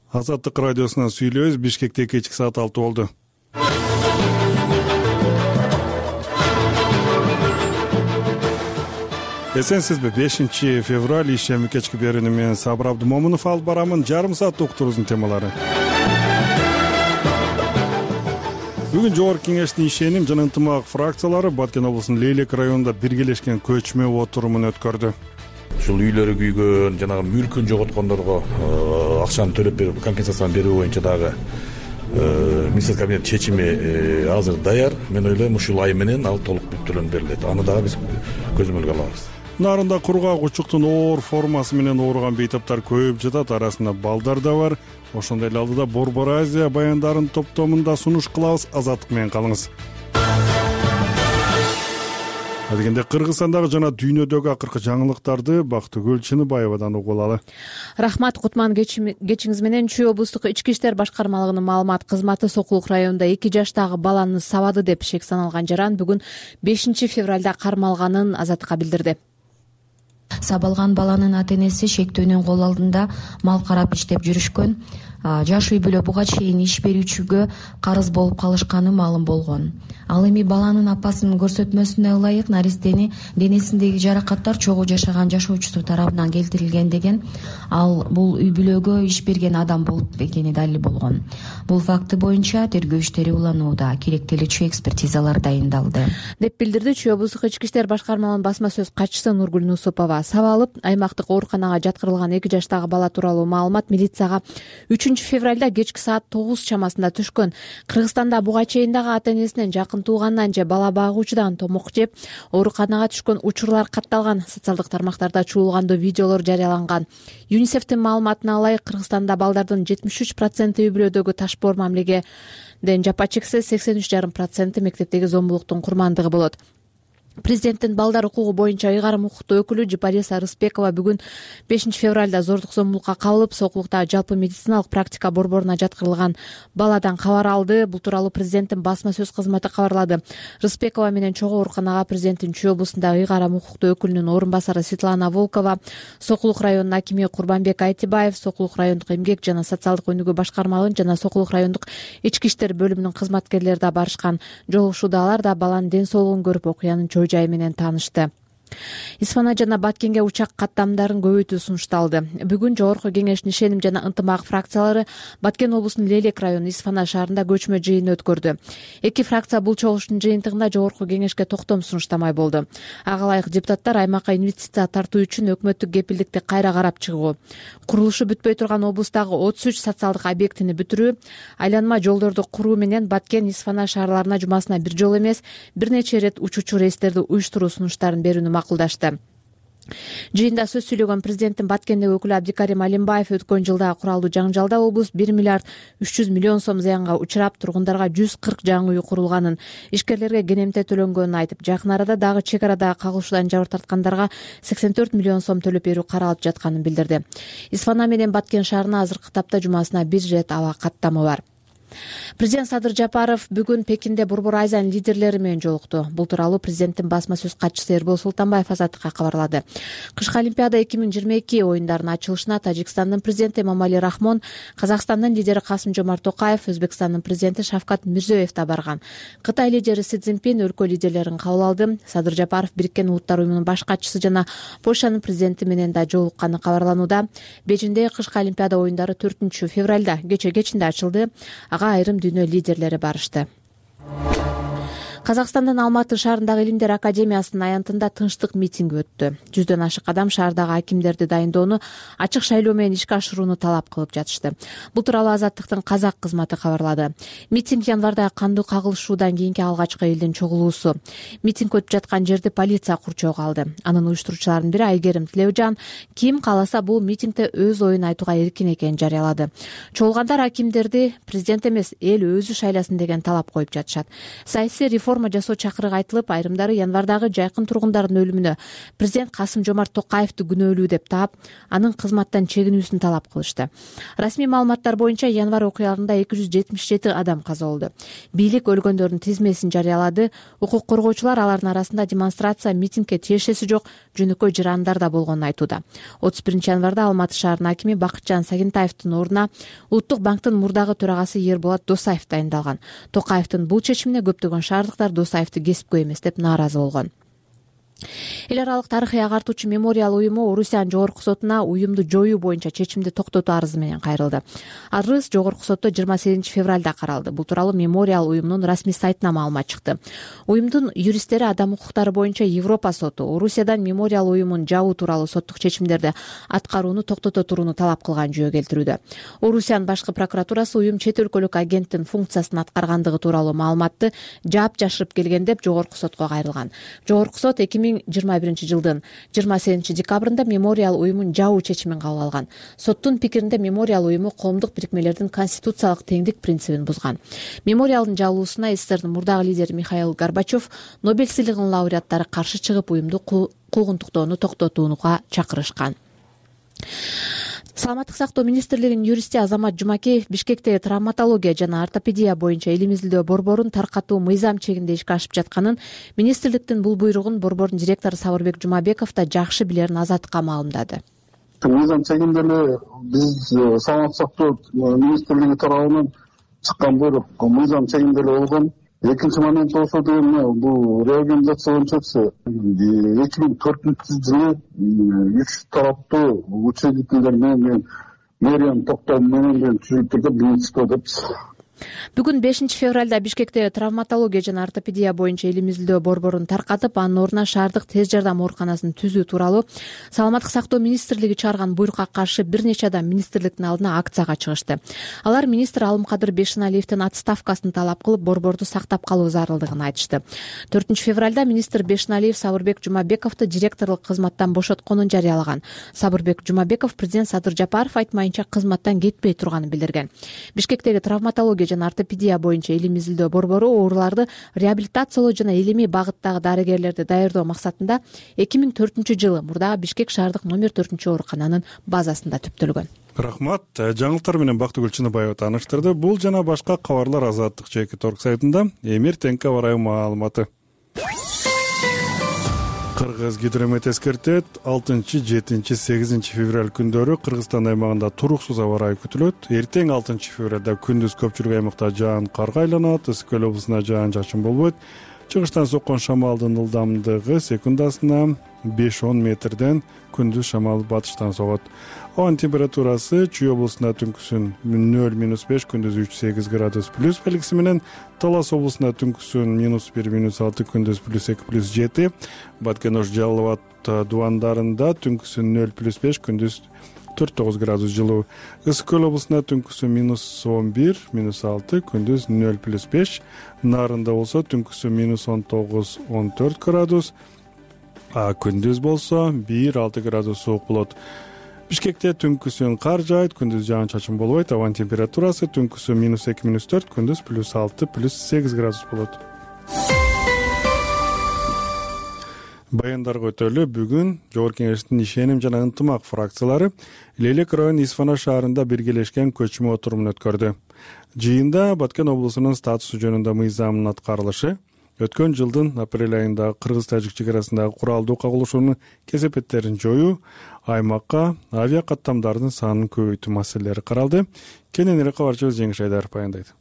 Азаттык радиосунан сүйлөбүз. Бишкекте кечки саат 6 болду. Эсенсизби? 5 февраль ишеми кечки берүүнү мен Сабыр Абдымомунов алып барамын. Жарым саат уктуруубуздун темалары. Бүгүн Жогорку Кеңештин ишеним жана ынтымак фракциялары Баткен облусунун Лейлек районунда биргелешкен көчмө отурумун өткөрдү. Ушул үйлөрү күйгөн, жанагы мүлкүн жоготкондорго акчаны төлөп берип, компенсацияны берүү боюнча дагы министрлик кабинет чечими азыр даяр. Мен ойлойм, ушул ай менен ал толук бүттүрүлүп берилет. Аны дагы биз көзөмөлгө алабыз. Нарында кургак учуктун оор формасы менен ооруган бейтаптар көп жатат, арасында балдар да бар. Ошондой эле алдыда Борбор Азия баяндарын топтомунда сунуш кылабыз. Азаттык менен калыңыз. Адегенде Кыргызстандагы жана дүйнөдөгү акыркы жаңылыктарды Бактыгүл Чыныбаевадан угуп алалы. Рахмат, Кутман. Кечиңиз менен Чүй облустук ички иштер башкармалыгынын маалымат кызматы Сокулук районунда 2 жаштагы баланы сабады деп шек саналган жаран бүгүн 5 февралда кармалганын Азаттыкка билдирди. Сабалган баланын ата-энеси шектөөнүн кол алдында мал карап иштеп жүрүшкөн. Жаш үй бүлө буга чейин иш берүүчүгө карыз болуп калышканы маалым болгон. Ал эми баланын апасынын көрсөтмөсүнө ылайык наристени денесиндеги жаракаттар чогуу жашаган жашоочусу тарабынан келтирилген деген. Ал бул үй бүлөгө иш берген адам болуп экени далил болгон. Бул факты боюнча тергөө иштери уланууда, керектелүүчү экспертизалар дайындалды, деп билдирди Чүй облустук ички иштер башкармалыгынын басма сөз катчысы Нургүл Нусупова. Сабалып, аймактык ооруканага жаткырылган 2 жаштагы бала тууралуу маалымат милицияга 3 февралда кечки саат 9 чамасында түшкөн. Кыргызстанда буга чейин дагы ата-энесинен жакын туугандан же бала багуучудан томок жеп ооруканага түшкөн учурлар катталган. Социалдык тармактарда чуулгандуу видеолор жарыяланган. ЮНИСЕФтин маалыматына ылайык, Кыргызстанда балдардын 73% үй бүлөдөгү ташбоор мамилегеден жапа чексе, 83,5% мектептеги зомбулуктун курмандыгы болот. Президенттин балдар укугу боюнча ыйгарым укуктуу өкүлү Жипариса Рыспекова бүгүн 5 февралда зордук зомбулукка кабылып, Сокулукта жалпы медициналык практика борборуна жаткырылган баладан кабар алды. Бул тууралуу президенттин басма сөз кызматы кабарлады. Рыспекова менен чогуу ооруканага президенттин Чүй облусундагы ыйгарым укуктуу өкүлүнүн орун басары Светлана Волкова, Сокулук районунун акими Курбанбек Айтибаев, Сокулук райондук эмгек жана социалдык өнүгүү башкармалыгынын жана Сокулук райондук ички иштер бөлүмүнүн кызматкерлери да барышкан. Жолугушууда алар да баланын ден соолугун көрүп, окуянын жай менен таанышты. Исфана жана Баткенге учак каттамдарын көбөйтүү сунушталды. Бүгүн Жогорку Кеңештин ишеним жана ынтымак фракциялары Баткен облусунун Лейлек району Исфана шаарында көчмө жыйын өткөрдү. 2 фракция бул чогулуштун жыйынтыгында Жогорку Кеңешке токтом сунуштамай болду. Ага ылайык депутаттар аймакка инвестиция тартуу үчүн өкмөттүк кепилдикти кайра карап чыгуу, курулушу бүтпөй турган облустагы 33 социалдык объектини бүтүрүү, айланма жолдорду куруу менен Баткен, Исфана шаарларына жумасына бир жолу эмес, бир нече ирет учуучу рейстерди уюштуруу сунуштарын берүүнү макулдашты. Жыйында сөз сүйлөгөн президенттин Баткендеги өкүлү Абдикарим Алимбаев өткөн жылда куралдуу жаңжалда облус 1 миллиард 300 миллион сом зыянга учурап, тургундарга 140 жаңы үй курулганын, ишкерлерге кенемте төлөнгөнүн айтып, жакын арада дагы чек арадагы кагылышуудан жабыр тарткандарга 84 миллион сом төлөп берүү каралып жатканын билдирди. Исфана менен Баткен шаарына азыркы тапта жумасына бир рет аба каттамы бар. Президент Садыр Жапаров бүгүн Пекинде Борбор Азиянын лидерлери менен жолукту. Бул тууралуу президенттин басма сөз катчысы Эрбол Султанбаев Азаттыкка кабарлады. Кышкы Олимпиада 2022 оюндарынын ачылышына Тажикстандын президенти Эмомали Рахмон, Казакстандын лидери Касым-Жомарт Токаев, Өзбекстандын президенти Шавкат Мирзиёев да барган. Кытай лидери Си Цзиньпин өлкө лидерлерин кабыл алды. Садыр Жапаров Бириккен Улуттар уюмунун баш катчысы жана Польшанын президенти менен да жолукканы кабарланууда. Бейжиңдеги кышкы Олимпиада оюндары 4 февралда кечинде ачылды. Ага айрым дүйнө лидерлери барышты. Казакстандын Алматы шаарындагы Илимдер академиясынын аянтында тынчтык митинги өттү. 100дөн ашык адам шаардагы акимдерди дайындоону, ачык шайлоо менен ишке ашырууну талап кылып жатышты. Бул тууралуу Азаттыктын казак кызматы кабарлады. Митинг январдагы кандуу кагылышуудан кийинки алгачкы элдин чогулуусу. Митинг өтүп жаткан жерди полиция курчоого алды. Анын уюштуруучуларынын бири Айгерим Тилеужан ким кааласа бул митингде өз оюн айтууга эркин экенин жарыялады. Чогулгандар акимдерди президент эмес, эл өзү шайласын деген талап коюп жатышат. Саясий реформа реформа жасоо чакырыгы айтылып, айрымдары январдагы жайкын тургундардын өлүмүнө президент Касым-Жомарт Токаевди күнөөлүү деп таап, анын кызматтан чегинүүсүн талап кылышты. Расмий маалыматтар боюнча январь окуяларында 277 адам каза болду. Бийлик өлгөндөрдүн тизмесин жарыялады. Укук коргоочулар алардын арасында демонстрация, митингге тиешеси жок жөнөкөй жарандар да болгонун айтууда. 31 январда Алматы шаарынын акими Бакытжан Сагентаевдин ордуна Улуттук банктын мурдагы төрагасы Ерболат Досаев дайындалган. Токаевдин бул чечимине көптөгөн шаардыктар Досаевди кесипкөй эмес деп нааразы болгон. Эл аралык тарыхый агартуучу мемориал уюму Орусиянын жогорку сотуна уюмду жоюу боюнча чечимди токтотуу арызы менен кайрылды. Арыз жогорку сотто 28 февралда каралды. Бул тууралуу мемориал уюмунун расмий сайтына маалымат чыкты. Уюмдун юристтери адам укуктары боюнча Европа соту Орусиядан мемориал уюмун жабуу тууралуу соттук чечимдерди аткарууну токтото турууну талап кылган жөө келтирүүдө. Орусиянын башкы прокуратурасы уюм чет өлкөлүк агенттин функциясын аткаргандыгы тууралуу маалыматты жаап жашырып келген деп жогорку сотко кайрылган. Жогорку сот 2021 жылдын 28 декабрында мемориал уюмун жабуу чечимин кабыл алган. Соттун пикиринде мемориал уюму коомдук бирикмелердин конституциялык теңдик принцибин бузган. Мемориалдын жабылуусуна СССРдин мурдагы лидери Михаил Горбачев, Нобель сыйлыгынын лауреаттары каршы чыгып, уюмду куугунтуктоону токтотууга чакырышкан. Саламаттык сактоо министрлигинин юристи Азамат Жумакеев Бишкектеги травматология жана ортопедия боюнча эл изилдөө борборун таркатуу мыйзам чегинде ишке ашып жатканын, министрликтин бул буйругун борбордун директору Сабырбек Жумабеков да жакшы билерин Азаттыкка маалымдады. Мыйзам чегинде эле биз саламаттык сактоо министрлиги тарабынан чыккан буйрук мыйзам чегинде эле болгон. Экинчи момент болсо деген бул реорганизация боюнча 2004 жылы 3 тараптуу учредителдер менен мэриянын токтому менен түзүлүп турган министрлик деп. Бүгүн 5 февралда Бишкекте травматология жана ортопедия боюнча эл изилдөө борборун таркатып, анын ордуна шаардык тез жардам ооруканасын түзүү тууралуу Саламаттык сактоо министрлиги чыгарган буйрукка каршы бир нече адам министрликтин алдына акцияга чыгышты. Алар министр Алымкадыр Бешеналиевдин отставкасын талап кылып, борборду сактап калуу зарылдыгын айтышты. 4 февралда министр Бешеналиев Сабырбек Жумабековду директорлук кызматтан бошотконун жарыялаган. Сабырбек Жумабеков президент Садыр Жапаров айтмайынча кызматтан кетпей турганын билдирген. Бишкектеги травматология жана ортопедия боюнча эл изилдөө борбору ооруларды реабилитациялоо жана илимий багыттагы дарыгерлерди даярдоо максатында 2004 жылы мурдагы Бишкек шаардык номер 4 оорукананын базасында түптөлгөн. Рахмат. Жаңылыктар менен Бактыгүл Чыныбаева тааныштырды. Бул жана башка кабарлар Азаттык ЖК.орг сайтында. Эмир-Теңке ырайы маалыматы. Кыргыз гидромет эскертет, 6, 7, 8 февраль күндөрү Кыргызстан аймагында туруксуз аба ырайы күтүлөт. Эртең 6 февралда күндүз көпчүлүк аймакта жаан карга айланат, Ысык-Көл облусунда жаан-чачын болбойт. Чыгыштан соккон шамалдын ылдамдыгы секундасына 5-10 метрден, күндүз шамал батыштан согот. Ауанын температурасы Чүй облусунда түнкүсүн 0-5, күндүз 3-8 градус плюс белгиси менен, Талас облусунда түнкүсүн -1-6, күндүз +2-+7, Баткен-Ош, Жалал Абад дубандарында түнкүсүн 0-5, күндүз 4-9 градус жылуу. Ысык-Көл облусунда түнкүсүн -11, -6, күндүз 0-5, Нарында болсо түнкүсүн -19-14 градус, күндүз болсо 1-6 градус суук болот. Бишкекте түнкүсүн кар жаайт, күндүз жаан-чачын болбойт. Ауанын температурасы түнкүсүн -2-4, күндүз +6-+8 градус болот. Баяндарга өтөлү. Бүгүн Жогорку Кеңештин ишеним жана ынтымак фракциялары Лелек районунун Исфана шаарында биргелешкен көчмө отурумун өткөрдү. Жыйында Баткен облусунун статусу жөнүндө мыйзамдын аткарылышы, өткөн жылдын апрель айында кыргыз-тажик чек арасындагы куралдуу кагылышуунун кесепеттерин жоюу, аймакка авиа каттамдардын санын көбөйтүү маселелери каралды. Кененирээк кабарчыбыз Жеңиш Айдаров баяндайт.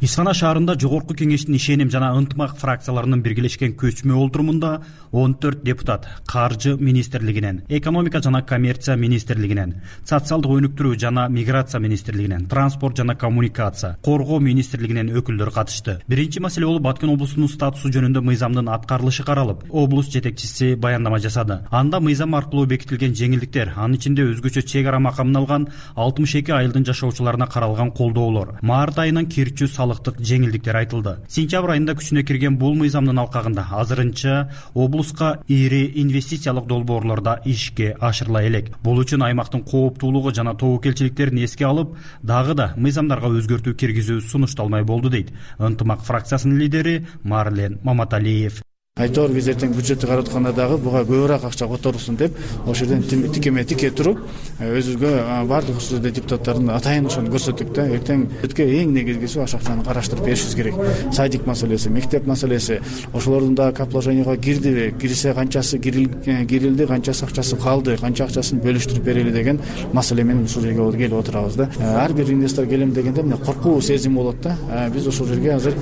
Исфана шаарында Жогорку Кеңештин ишеним жана ынтымак фракцияларынын биргелешкен көчмө олтурумунда 14 депутат Каржы министрлигинен, Экономика жана коммерция министрлигинен, Социалдык өнүктүрүү жана миграция министрлигинен, Транспорт жана коммуникация, Коргоо министрлигинен өкүлдөр катышты. Биринчи маселе болуп Баткен облусунун статусу жөнүндө мыйзамдын аткарылышы каралып, облус жетекчиси баяндама жасады. Анда мыйзам аркылуу бекитилген жеңилдиктер, анын ичинде өзгөчө чек ара макамын алган 62 айылдын жашоочуларына каралган колдоолор, маарт айынан кирчүү салык салыктык жеңилдиктер айтылды. Сентябрь айында күчүнө кирген бул мыйзамдын алкагында азырынча облуска ири инвестициялык долбоорлорда ишке ашырыла элек. Бул үчүн аймактын кооптуулугу жана тобокелчиликтерин эске алып, дагы да мыйзамдарга өзгөртүү киргизүү сунушталмай болду дейт Ынтымак фракциясынын лидери Марлен Маматалиев. Айтор биз эртең бюджетти карап атканда дагы буга көбүрөөк акча которулсун деп ошол жерден тикеме-тике туруп өзүбүзгө баардык ушул жерде депутаттардын атайын ошону көрсөттүк да. Эртең бюджетке эң негизгиси аш акчаны караштырып беришибиз керек. Садик маселеси, мектеп маселеси, ошолордун да капложенияга кирдиби, кирсе канчасы кирилди, канчасы акчасы калды, канча акчасын бөлүштүрүп берели деген маселе менен ушул жерге келип отурабыз да. Ар бир инвестор келем дегенде мына коркуу сезими болот да. Биз ошол жерге азыр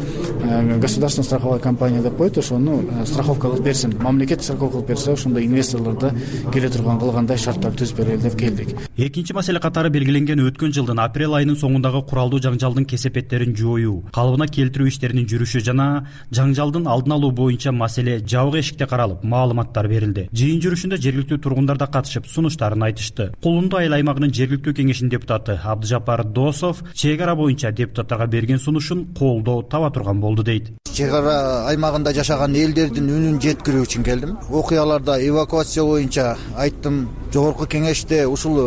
государственная страховая компания деп коет, ошону страховка кылып берсин, мамлекет страховка кылып берсе, ошондой инвесторлорду келе турган кылгандай шарттар түзүп берели деп келдик. Экинчи маселе катары белгиленген өткөн жылдын апрель айынын соңундагы куралдуу жаңжалдын кесепеттерин жоюу, калыбына келтирүү иштеринин жүрүшү жана жаңжалдын алдын алуу боюнча маселе жабык эшикте каралып, маалыматтар берилди. Жыйын жүрүшүндө жергиликтүү тургундар да катышып, сунуштарын айтышты. Кулунду айыл аймагынын жергиликтүү кеңешинин депутаты Абдыжапар Досов чек ара боюнча депутаттарга берген сунушун колдоо таба турган болду дейт. Чек ара аймагында жашаган элдердин үнүн жеткирүү үчүн келдим. Окуяларда эвакуация боюнча айттым. Жогорку кеңеште ушул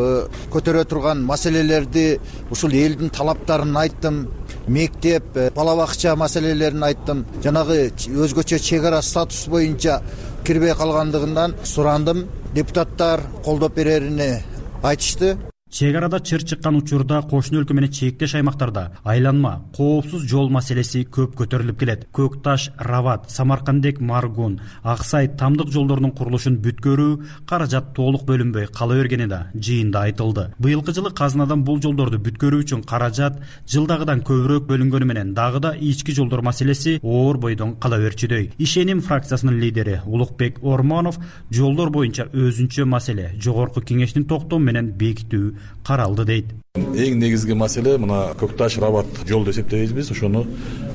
көтөрө турган маселелерди, ушул элдин талаптарын айттым. Мектеп, бала бакча маселелерин айттым. Жанагы өзгөчө чек ара статус боюнча кирбей калгандыгынан сурандым. Депутаттар колдоп береrini айтышты. Чек арада чыр чыккан учурда кошуна өлкө менен чектеш аймактарда айланма, коопсуз жол маселеси көп көтөрүлүп келет. Көк Таш, Рават, Самаркандек, Маргун, Аксай, Тамдык жолдорунун курулушун бүткөрүү каражат толук бөлүнбөй кала бергени да жыйында айтылды. Быйылкы жылы казынадан бул жолдорду бүткөрүү үчүн каражат жылдагыдан көбүрөөк бөлүнгөнү менен дагы да ички жолдор маселеси оор бойдон кала берчүдөй. Ишеним фракциясынын лидери Улукбек Ормонов жолдор боюнча өзүнчө маселе жогорку кеңештин токтому менен бекитүү каралды дейт. Эң негизги маселе мына Көк Таш, Рават жолду эсептейбиз биз. Ошону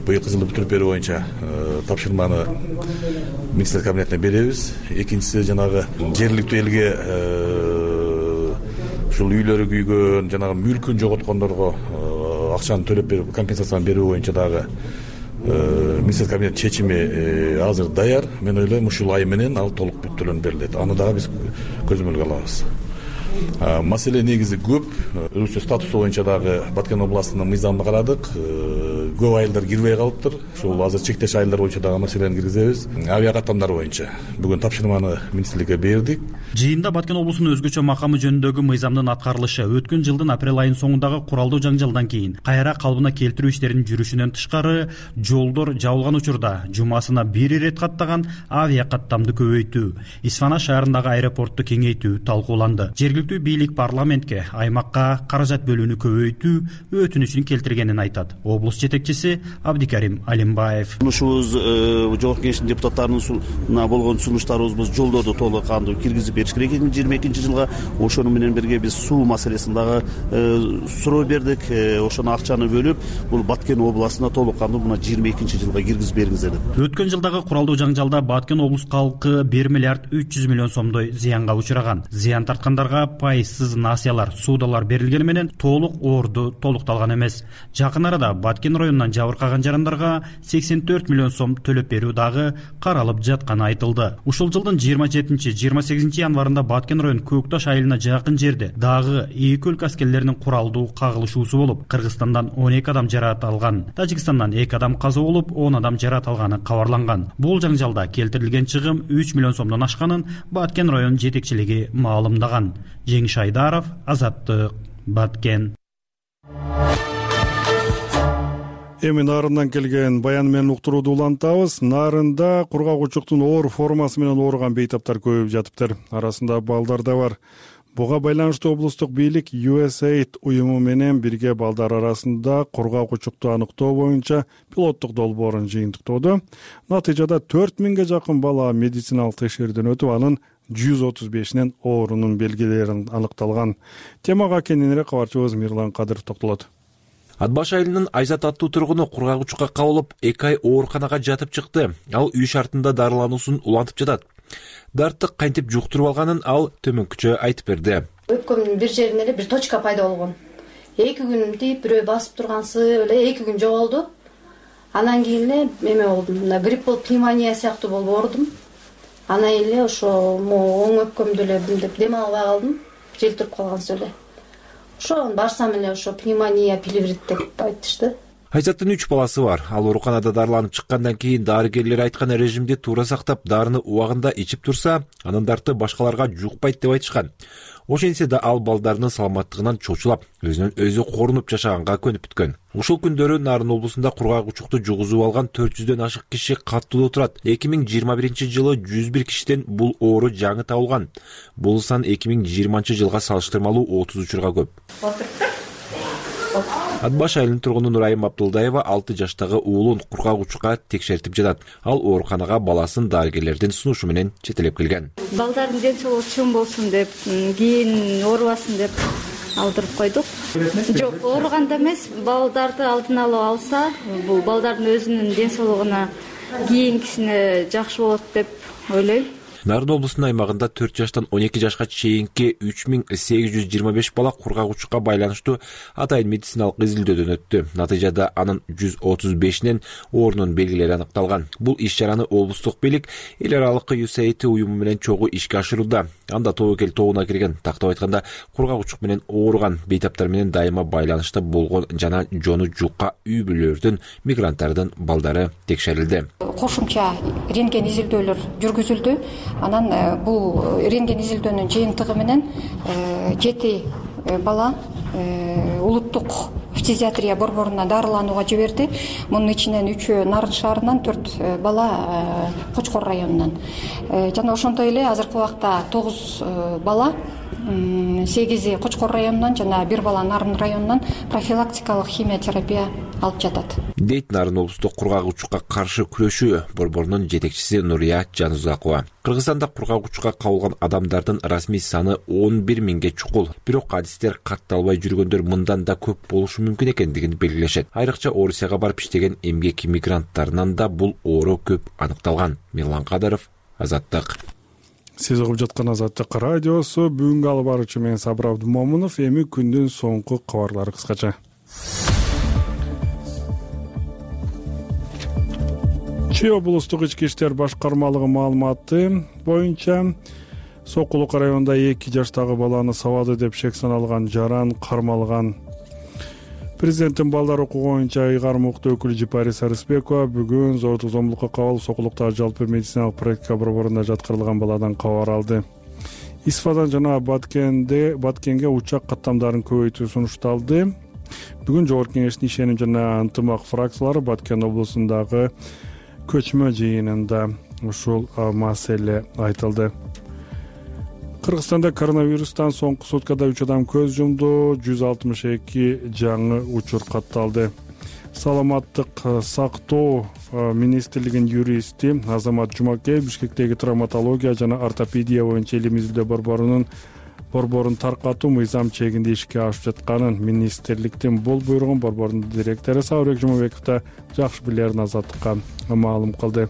быйылкы жылы бүтүрүп берүү боюнча тапшырманы министрлик кабинетине беребиз. Экинчиси жанагы жергиликтүү элге ушул үйлөрү күйгөн, жанагы мүлкүн жоготкондорго акчаны төлөп берип, компенсацияны берүү боюнча дагы министрлик кабинет чечими азыр даяр. Мен ойлойм ушул ай менен ал толук бүттүрүлүп берилет. Аны дагы биз көзөмөлгө алабыз. Маселе негизи көп. Өзү статусу боюнча дагы Баткен областынын мыйзамын карадык. Көп айылдар кирбей калыптыр. Ушул азыр чектеш айылдар боюнча дагы маселени киргизебиз. Авиа каттамдар боюнча бүгүн тапшырманы министрликке бердик. Жыйында Баткен облусунун өзгөчө макамы жөнүндөгү мыйзамдын аткарылышы өткөн жылдын апрель айынын соңундагы куралдуу жаңжалдан кийин кайра калыбына келтирүү иштеринин жүрүшүнөн тышкары жолдор жабылган учурда жумасына бир ирет каттаган авиа каттамды көбөйтүү, Исфана шаарындагы аэропортту кеңейтүү талкууланды. Жергиликтүү бийлик парламентке аймакка каражат бөлүүнү көбөйтүү өтүнүчүн келтиргенин айтат. Облус жетекчиси Абдикарим Алимбаев. Сунушубуз жогорку кеңештин депутаттарына болгон сунуштарыбыз жолдорду толук кандуу киргизип бериш керек 2022 жылга. Ошону менен бирге биз суу маселесин дагы суроо бердик. Ошону акчаны бөлүп, бул Баткен областына толук кандуу мына 22 жылга киргизип бериңиздер деп. Өткөн жылдагы куралдуу жаңжалда Баткен облус калкы 1 миллиард 300 миллион сомдой зыянга учураган. Зыян тарткандарга пайызсыз насыялар, суудалар берилгени менен толук оорду толукталган эмес. Жакын арада Баткен районунан жабыркаган жарандарга 84 миллион сом төлөп берүү дагы каралып жатканы айтылды. Ушул жылдын 27-28 январында Баткен район Көк Таш айылына жакын жерде дагы эки өлкө аскерлеринин куралдуу кагылышуусу болуп, Кыргызстандан 12 адам жаракат алган, Тажикстандан 2 адам каза болуп, 10 адам жаракат алганы кабарланган. Бул жаңжалда келтирилген чыгым 3 миллион сомдон ашканын Баткен район жетекчилиги маалымдаган. Жеңиш Айдаров, Азаттык, Баткен. Эми Нарындан келген баян менен уктурууду улантабыз. Нарында кургагучуктун оор формасы менен ооруган бейтаптар көбөйүп жатыптыр. Арасында балдар да бар. Буга байланыштуу облустук бийлик USAID уюму менен бирге балдар арасында кургагучукту аныктоо боюнча пилоттук долбоорун жыйынтыктоодо. Натыйжада 4000ге жакын бала медициналык текшерүүдөн өтүп, анын 135-нен оорунун белгилери аныкталган. Темага кененирээк кабарчыбыз Мирлан Кадыров токтолот. Ат баш айылынын Айзат аттуу тургуну кургагучукка кабылып, 2 ай ооруканага жатып чыкты. Ал үй шартында дарылануусун улантып жатат. Дарттык кантип жуктуруп алганын ал төмөнкүчө айтып берди. Өпкөмдүн бир жеринде эле бир точка пайда болгон. 2 күн тип бирөө басып тургансы эле 2 күн жоголду. Анан кийин эле эме болдум, мына грипп болуп, пневмония сыяктуу болуп оорудум. Анан эле ошо оң өпкөмдү эле мындеп дем албай калдым, жел туруп калгансыз эле. Ошо барсам эле ошо пневмония, плеврит деп айтышты. Айзаттын 3 баласы бар. Ал ооруканада дарыланып чыккандан кийин дарыгерлер айткан режимди туура сактап, дарыны убагында ичип турса, анын дарты башкаларга жукпайт деп айтышкан. Ошентсе да ал балдарынын саламаттыгынан чочулап, өзүнөн өзү корунуп жашаганга көнүп бүткөн. Ушул күндөрү Нарын облусунда кургак учукту жугузуп алган 400дөн ашык киши каттоодо турат. 2021-жылы 101 кишиден бул оору жаңы табылган. Бул сан 2020-жылга салыштырмалуу 30 учурга көп. Ат Баш айылынын тургуну Нурайым Абдулдаева 6 жаштагы уулун кургак учукка текшертип жатат. Ал ооруканага баласын дарыгерлердин сунушу менен четелеп келген. Балдардын ден соолугу чың болсун деп, кийин оорубасын деп алдырып койдук. Жок, ооруганда эмес, балдарды алдын алып алса, бул балдардын өзүнүн ден соолугуна кийинкисине жакшы болот деп ойлойм. Нарын облусунун аймагында 4 жаштан 12 жашка чейинки 3825 бала кургак учукка байланыштуу атайын медициналык изилдөөдөн өттү. Натыйжада анын 135нен оорунун белгилери аныкталган. Бул иш-чараны облустук бийлик эл аралык USAID уюму менен чогуу ишке ашырууда. Анда тобокел тобуна кирген, тактап айтканда, кургак учук менен ооруган, бейтаптар менен дайыма байланышта болгон жана жону жукка үй бүлөлөрдүн, мигранттардын балдары текшерилди. Кошумча рентген изилдөөлөр жүргүзүлдү. Анан бул рентген изилдөөнүн жыйынтыгы менен 7 бала улуттук фтизиатрия борборуна дарыланууга жиберди. Мунун ичинен 3 Нарын шаарынан, 4 бала Кочкор районунан. Жана ошондой эле азыркы убакта 9 бала, 8 Кочкор районунан жана 1 бала Нарын районунан профилактикалык химиотерапия алып жатат. Дейт Нарын облустук кургак учукка каршы күрөшүү борборунун жетекчиси Нурия Жанузакова. Кыргызстанда кургак учукка кабылган адамдардын расмий саны 11 миңге чукул. Бирок адистер катталбай жүргөндөр мындан да көп болушу мүмкүн экендигин белгилешет. Айрыкча Орусияга барып иштеген эмгек мигранттарынан да бул оору көп аныкталган. Мирлан Кадаров, Азаттык. Сиз угуп жаткан Азаттык радиосу. Бүгүнкү алып баруучу мен Сабыр Абдымомунов. Эми күндүн соңку кабарлары кыскача. Чүй облустук ички иштер башкармалыгы маалыматы боюнча Сокулук районунда 2 жаштагы баланы сабады деп шек саналган жаран кармалган. Президенттин балдар укугу боюнча ыйгарым укуктуу өкүлү Жипари Сарысбекова бүгүн зордук зомбулукка кабылып Сокулуктагы жалпы медициналык практика борборунда жаткырылган баладан кабар алды. Исфадан жана Баткенге учак каттамдарын көбөйтүү сунушталды. Бүгүн Жогорку Кеңештин ишеним жана ынтымак фракциялары Баткен облусундагы көчмө жыйынында ушул маселе айтылды. Кыргызстанда коронавирустан соңку суткада 3 адам көз жумду, 162 жаңы учур катталды. Саламаттык сактоо министрлигинин юристи Азамат Жумакеев Бишкектеги травматология жана ортопедия боюнча илим изилдөө борборун таркатуу мыйзам чегинде ишке ашып жатканын, министрликтин бул буйругун борбордун директору Сабырбек Жумабеков да жакшы билерин Азаттыкка маалым кылды.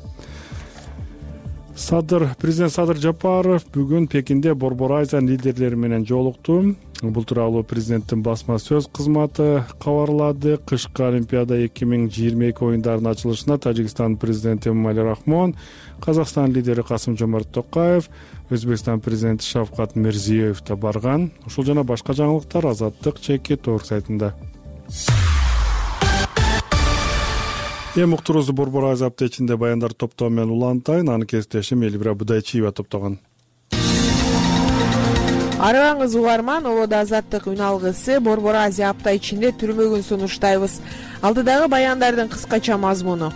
Президент Садыр Жапаров бүгүн Пекинде Борбор Азия лидерлери менен жолукту. Бул тууралуу президенттин басма сөз кызматы кабарлады. Кышкы Олимпиада 2022 оюндарынын ачылышына Тажикстан президенти Эмомали Рахмон, Казакстан лидери Касым-Жомарт Токаев, Өзбекстан президенти Шавкат Мирзиёев да барган. Ушул жана башка жаңылыктар Азаттык чеки торг сайтында. Эми уктуруубузду Борбор Азия аптечинде баяндар топтоо менен улантайын. Аны кесиптешим Элвира Будайчиева топтогон. Арыбаңыз угарман, Олоду Азаттык үн алгысы Борбор Азия апта ичинде түрмөгүн сунуштайбыз. Алдыдагы баяндардын кыскача мазмуну.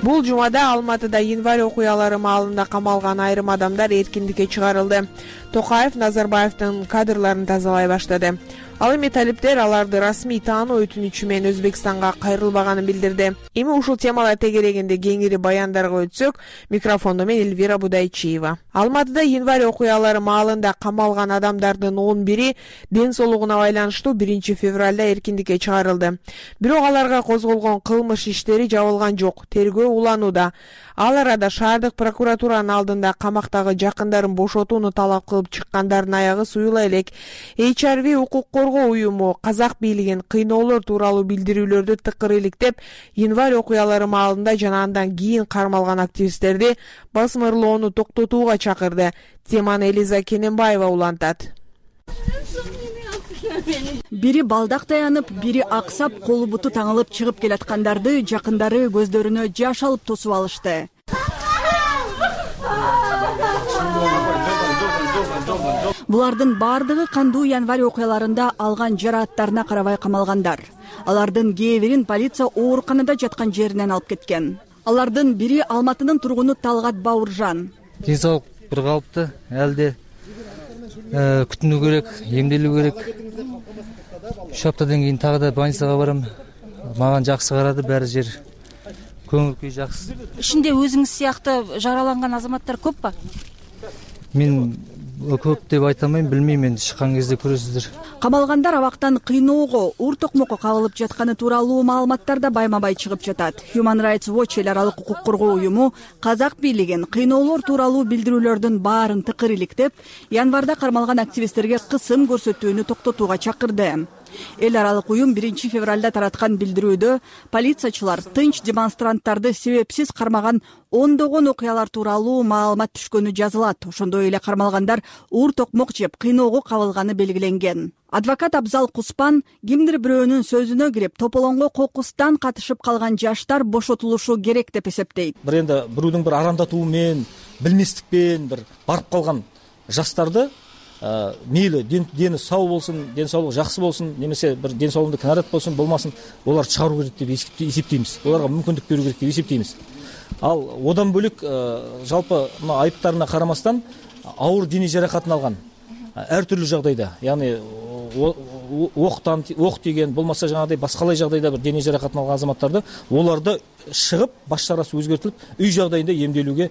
Бул жумада Алматыда январь окуялары маалында камалган айрым адамдар эркиндикке чыгарылды. Токаев Назарбаевдин кадрларын тазалай баштады. Ал эми талиптер аларды расмий таануу өтүнүчү менен Өзбекстанга кайрылбаганын билдирди. Эми ушул темалар тегерегинде кеңири баяндарга өтсөк, микрофондо мен Элвира Будайчиева. Алматыда январь окуялары маалында камалган адамдардын 11-и ден соолугуна байланыштуу 1-февралда эркиндикке чыгарылды. Бирок аларга козголгон кылмыш иштери жабылган жок, тергөө уланууда. Ал арада шаардык прокуратуранын алдында камактагы жакындарын бошотууну талап кылып алып чыккандардын аягы суюла элек. HRV укук коргоо уюму казак бийлигин кыйноолор тууралуу билдирүүлөрдү тыкыр иликтеп, январь окуялары маалында жана андан кийин кармалган активисттерди басмырлоону токтотууга чакырды. Теманы Элиза Кененбаева улантат. Бири балдак таянып, бири аксап, колу буту таңылып чыгып келаткандарды жакындары көздөрүнө жаш алып тосуп алышты. Булардын бардыгы кандуу январь окуяларында алган жарааттарына карабай камалгандар. Алардын кээ бирин полиция ооруканада жаткан жеринен алып кеткен. Алардын бири Алматынын тургуну Талгат Бауыржан. Ден соолук бир калыпты, элде күтүнүү керек, эмделүү керек. 3 аптадан кийин тагы да больницага барам. Мага жакшы карады, баары жер. Көңүл күй жакшы. Ичинде өзүңүз сыяктуу жараланган азаматтар көп ба? Мен көп деп айта алмайм, билбейм, эми чыккан кезде көрөсүздөр. Камалгандар абактан кыйноого, ур токмокко кабылып жатканы тууралуу маалыматтар да байма-бай чыгып жатат. Human Rights Watch эл аралык укук коргоо уюму казак бийлигин кыйноолор тууралуу билдирүүлөрдүн баарын тыкыр иликтеп, январда кармалган активисттерге кысым көрсөтүүнү токтотууга чакырды. Эл аралык уюм 1 февралда тараткан билдирүүдө полициячылар тынч демонстранттарды себепсиз кармаган ондогон окуялар тууралуу маалымат түшкөнү жазылат. Ошондой эле кармалгандар ур токмок жеп кыйноого кабылганы белгиленген. Адвокат Абзал Куспан кимдир бирөөнүн сөзүнө кирип, тополоңго кокустан катышып калган жаштар бошотулушу керек деп эсептейт. Бирөөнүн бирөөнүн арандатуу менен, билместикпен барып калган жаштарды мейли дени сау болсун, ден соолугу жакшы болсун, немесе бир ден соолугунда кінарат болсун, болмасын, олар чыгаруу керек деп эсептейбиз. Оларга мүмкүндүк берүү керек деп эсептейбиз. Ал одан бөлөк жалпы мына айыптарына карамастан ауыр дене жаракатын алган ар түрлүү жагдайда, яғни ок тиген, болмаса жаңагыдай башкалай жагдайда бир дене жаракатын алган азаматтарды оларды чыгып, баш чарасы өзгөртүлүп, үй жагдайында эмделүүгө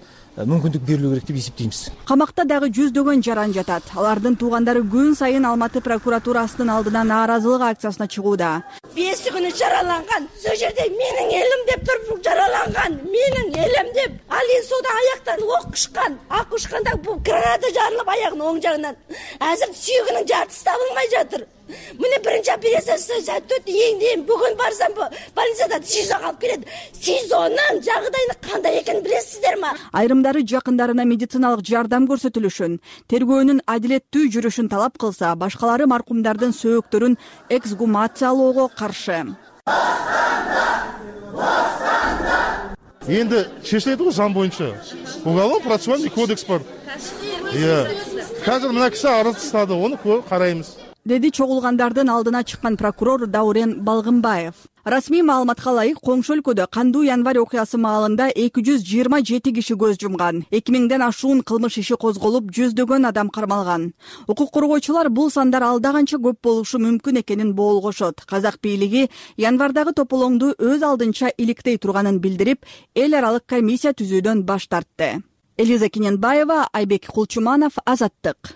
мүмкүндүк берилүү керек деп эсептейбиз. Камакта дагы жүздөгөн жаран жатат. Алардын туугандары күн сайын Алматы прокуратурасынын алдына нааразылык акциясына чыгууда. 5 күнү жараланган, сол жерде менин элим деп туруп жараланган, менин элим деп, ал сода аяктан ок ушкан, ак ушканда бул граната жарылып аягынын оң жагынан. Азыр сүйөгүнүн жартысы табылмай жатыр. Мына биринчи операциясы өтүп, эң бүгүн барсам больницада СИЗОга алып келет. СИЗОнун жагдайы кандай экенин билесиздерби? Айрымдары жакындарына медициналык жардам көрсөтүлүшүн, тергөөнүн адилеттүү жүрүшүн талап кылса, башкалары маркумдардын сөөктөрүн эксгумациялоого каршы. Энди чечилет го зам боюнча. Уголовно-процессуальный кодекс бар. Азыр мына киши арыз тастады, оны карайбыз. Деди чогулгандардын алдына чыккан прокурор Даурен Балгынбаев. Расмий маалыматка ылайык, коңшу өлкөдө кандуу январь окуясы маалында 227 киши көз жумган. 2000ден ашуун кылмыш иши козголуп, жүздөгөн адам кармалган. Укук коргоочулар бул сандар алда канча көп болушу мүмкүн экенин боолгошот. Казак бийлиги январдагы тополоңду өз алдынча иликтей турганын билдирип, эл аралык комиссия түзүүдөн баш тартты. Элиза Кененбаева, Айбек Кулчуманов, Азаттык.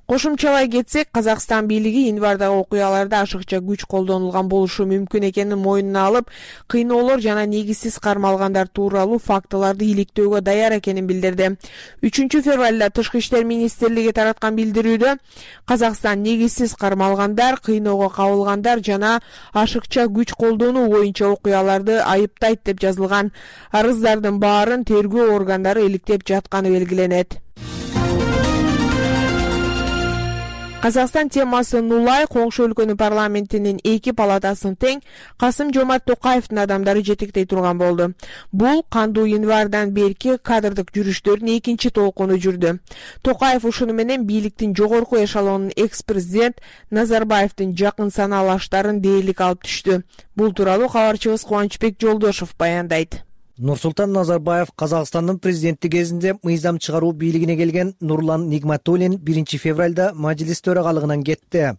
Кошумчалай кетсек, Казакстан бийлиги январдагы окуяларда ашыкча күч колдонулган болушу мүмкүн экенин мойнуна алып, кыйноолор жана негизсиз кармалгандар тууралуу фактыларды иликтөөгө даяр экенин билдирди. 3 февралда Тышкы иштер министрлиги тараткан билдирүүдө Казакстан негизсиз кармалгандар, кыйноого кабылгандар жана ашыкча күч колдонуу боюнча окуяларды айыптайт деп жазылган. Арыздардын баарын тергөө органдары иликтеп жатканы белгиленет. Казакстан темасы нулай коңшу өлкөнүн парламентинин 2 палатасын тең Касым-Жомарт Токаевдин адамдары жетектей турган болду. Бул кандуу январдан берки кадрдык жүрүштөрдүн 2 толкуну жүрдү. Токаев ушуну менен бийликтин жогорку эшелонунун экс-президент Назарбаевдин жакын санаалаштарын дээрлик алып түштү. Бул тууралуу кабарчыбыз Кубанычбек Жолдошов баяндайт. Нурсултан Назарбаев Казакстандын президенти кезинде мыйзам чыгаруу бийлигине келген Нурлан Нигматуллин 1 февралда мажилис төрагалыгынан кетти.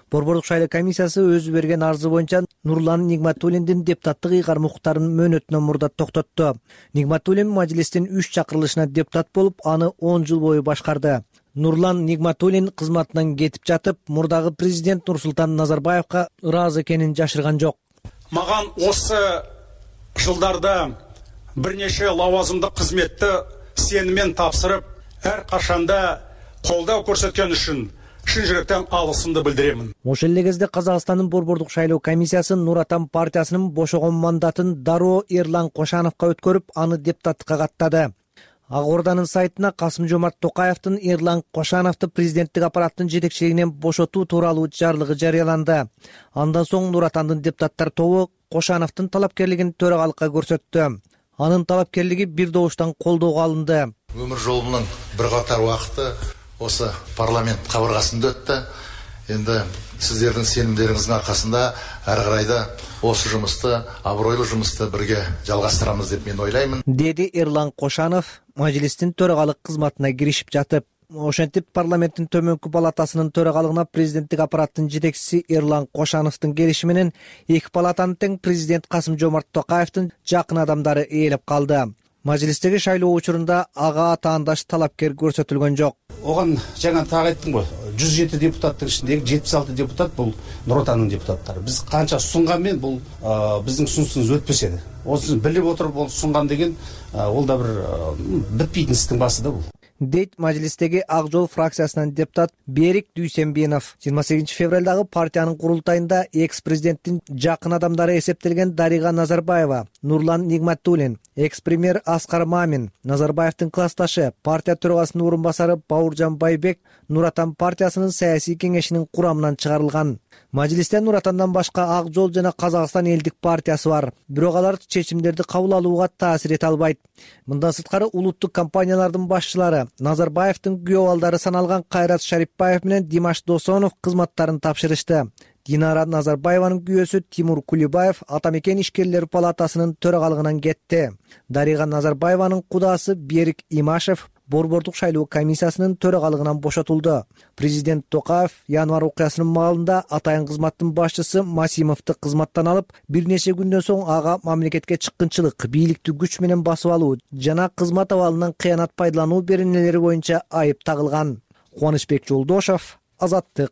Борбордук шайлоо комиссиясы өзү берген арызы боюнча Нурлан Нигматуллиндин депутаттык ыйгарым укуктарын мөөнөтүнөн мурда токтотту. Нигматуллин мажилистин 3 чакырылышына депутат болуп, аны 10 жыл бою башкарды. Нурлан Нигматуллин кызматынан кетип жатып, мурдагы президент Нурсултан Назарбаевка ыраазы экенин жашырган жок. Маган осы жылдарда бир нече лауазымдык кызметти сеніммен тапсырып, ар кашанда колдоо көрсөткөн үчүн чын жүрөктөн алгысымды билдирем. Ошол эле кезде Казакстандын Борбордук шайлоо комиссиясы Нур Отан партиясынын бошогон мандатын дароо Эрлан Кошановго өткөрүп, аны депутаттыкка каттады. Ак Орданын сайтына Касым-Жомарт Токаевдин Эрлан Кошановду президенттик аппараттын жетекчилигинен бошотуу тууралуу жарлыгы жарыяланды. Андан соң Нур Отандын депутаттар тобу Кошановдун талапкерлигин төрагалыкка көрсөттү. Анын талапкерлиги бир добуштан колдоого алынды. Өмүр жолумдун бир катар убакыты осы парламент кабыргасында өттү. Енді сіздердің сенімдеріңіздің арқасында әрі қарайда осы жұмысты, абыройлы жұмысты бірге жалғастырамыз деп мен ойлаймын. Деді Эрлан Кошанов мажлистин төрағалық қызматына киришип жатып. Ошентип парламенттин төмөнкү палатасынын төрагалыгына президенттик аппараттын жетекчиси Эрлан Кошановдун келиши менен эки палатаны тең президент Касым-Жомарт Токаевдин жакын адамдары ээлеп калды. Мажлистеги шайлоо учурунда ага атаандаш талапкер көрсөтүлгөн жок. Оган жаңа так айттым го, 107 депутаттын ичиндеги 76 депутат бул Нур Отандын депутаттары. Биз канча сунганмен бул биздин сунушубуз өтпөс эди. Осуну билип отуруп ол сунган деген ол да бир бүтпөйтүн истин басы да бул. Дейт мажлистеги Ак жол фракциясынан депутат Берик Дүйсенбинов. 28 февралдагы партиянын курултайында экс-президенттин жакын адамдары эсептелген Дарига Назарбаева, Нурлан Нигматуллин, экс-премьер Аскар Мамин, Назарбаевдин классташы, партия төрагасынын орун басары Бауыржан Байбек Нур Отан партиясынын саясий кеңешинин курамынан чыгарылган. Мажлисте Нур Отандан башка Ак жол жана Казакстан элдик партиясы бар. Бирок алар чечимдерди кабыл алууга таасир эте албайт. Мындан сырткары улуттук компаниялардын башчылары Назарбаевдин күйөө балдары саналган Кайрат Шарипбаев менен Димаш Досонов кызматтарын тапшырышты. Динара Назарбаеванын күйөөсү Тимур Кулибаев Атамекен ишкерлер палатасынын төрагалыгынан кетти. Дарига Назарбаеванын кудасы Берик Имашев Борбордук шайлоо комиссиясынын төрагалыгынан бошотулду. Президент Токаев январь окуясынын маалында атайын кызматтын башчысы Масимовду кызматтан алып, бир нече күндөн соң ага мамлекетке чыккынчылык, бийликти күч менен басып алуу жана кызмат абалынан кыянат пайдалануу беренелери боюнча айып тагылган. Кубанычбек Жолдошов, Азаттык.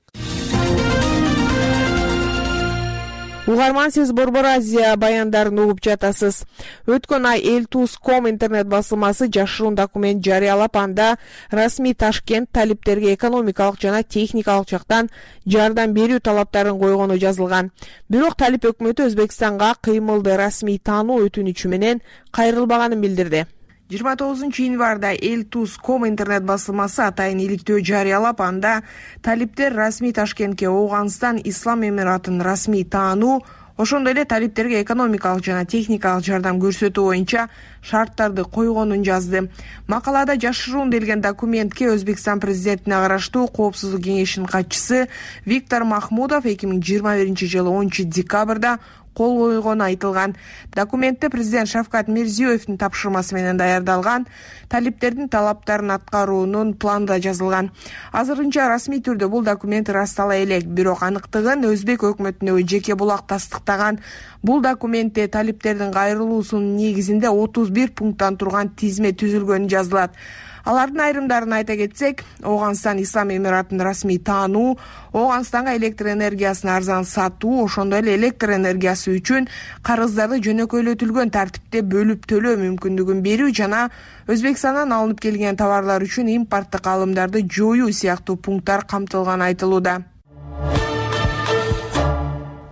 Угарман, сиз Борбор Азия баяндарын угуп жатасыз. Өткөн ай Элтус.com интернет басылмасы жашыруун документ жарыялап, анда расмий Ташкент талиптерге экономикалык жана техникалык жактан жардам берүү талаптарын койгону жазылган. Бирок талип өкмөтү Өзбекстанга кыймылды расмий таануу өтүнүчү менен кайрылбаганын билдирди. 29 январда Элтус.com интернет басылмасы атайын иликтөө жарыялап, анда талиптер расмий Ташкентке Ооганстан Ислам Эмиратынын расмий таануу, ошондой эле талиптерге экономикалык жана техникалык жардам көрсөтүү боюнча шарттарды койгонун жазды. Макалада жашыруун делген документке Өзбекстан президентине караштуу Коопсуздук кеңешинин катчысы Виктор Махмудов 2021-жылы 10 декабрда кол койгону айтылган. Документте президент Шавкат Мирзиёевдин тапшырмасы менен даярдалган талиптердин талаптарын аткаруунун планы да жазылган. Азырынча расмий түрдө бул документ ырастала элек, бирок аныктыгын Өзбек өкмөтүнө жеке булак тастыктаган. Бул документте талиптердин кайрылуусунун негизинде 31 пункттан турган тизме түзүлгөнү жазылат. Алардын айрымдарын айта кетсек, Ооганстан Ислам Эмиратынын расмий таануу, Ооганстанга электр энергиясын арзан сатуу, ошондой эле электр энергиясы үчүн карыздарды жөнөкөйлөтүлгөн тартипте бөлүп төлөө мүмкүндүгүн берүү жана Өзбекстандан алынып келген товарлар үчүн импорттук алымдарды жоюу сыяктуу пункттар камтылганы айтылууда.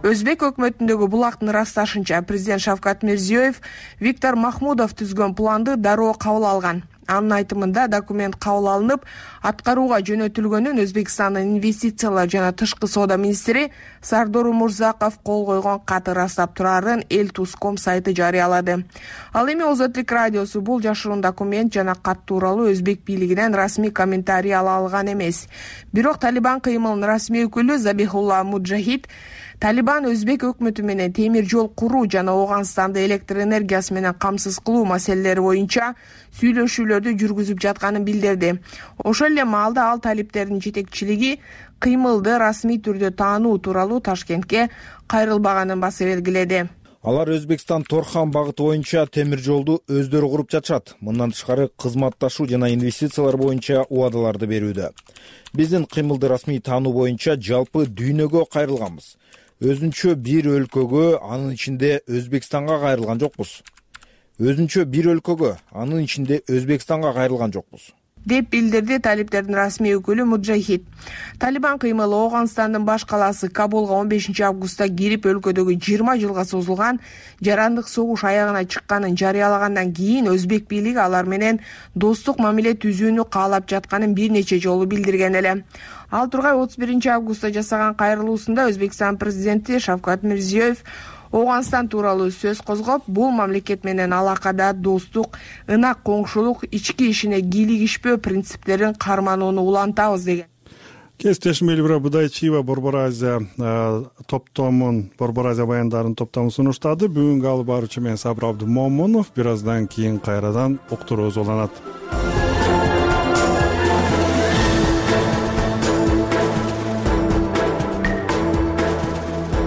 Өзбек өкмөтүндөгү булактын ырасташынча, президент Шавкат Мирзиёев Виктор Махмудов түзгөн планды дароо кабыл алган. Анын айтымында документ кабыл алынып, аткарууга жөнөтүлгөнүн Өзбекстандын инвестициялар жана тышкы соода министри Сардор Умурзаков кол койгон каты ырастап турарын Элтус.com сайты жарыялады. Ал эми Озотлук радиосу бул жашыруун документ жана кат тууралуу Өзбек бийлигинен расмий комментарий ала алган эмес. Бирок Талибан кыймылынын расмий өкүлү Забихулла Муджахид Талибан Өзбек өкмөтү менен темир жол куруу жана Ооганстанды электр энергиясы менен камсыз кылуу маселелери боюнча сүйлөшүүлөрдү жүргүзүп жатканын билдирди. Ошол эле маалда ал талиптердин жетекчилиги кыймылды расмий түрдө таануу тууралуу Ташкентке кайрылбаганын баса белгиледи. Алар Өзбекстан Торхан багыты боюнча темир жолду өздөрү куруп жатышат. Мындан тышкары кызматташуу жана инвестициялар боюнча убадаларды берүүдө. Биздин кыймылды расмий таануу боюнча жалпы дүйнөгө кайрылганбыз. Өзүнчө бир өлкөгө, анын ичинде Өзбекстанга кайрылган жокпуз. Өзүнчө бир өлкөгө, анын ичинде Өзбекстанга кайрылган жокпуз. деп билдирди талиптердин расмий өкүлү Муджахид. Талибан кыймылы Ооганстандын баш калаасы Кабулга 15 августта кирип өлкөдөгү 20 жылга созулган жарандык согуш аягына чыкканын жарыялагандан кийин өзбек бийлиги алар менен достук мамиле түзүүнү каалап жатканын бир нече жолу билдирген эле. Ал тургай 31 августта жасаган кайрылуусунда Өзбекстан президенти Шавкат Мирзиёев Ооганстан тууралуу сөз козгоп, бул мамлекет менен алакада достук, ынак коңшулук, ички ишине кийлигишпөө принциптерин карманууну улантабыз деген. Кесиптешим Элбира Будайчиева Борбор Азия баяндарын топтомун сунуштады. Бүгүнкү алып баруучу мен Сабыр Абдымомунов. Бир аздан кийин кайрадан уктуруубуз уланат.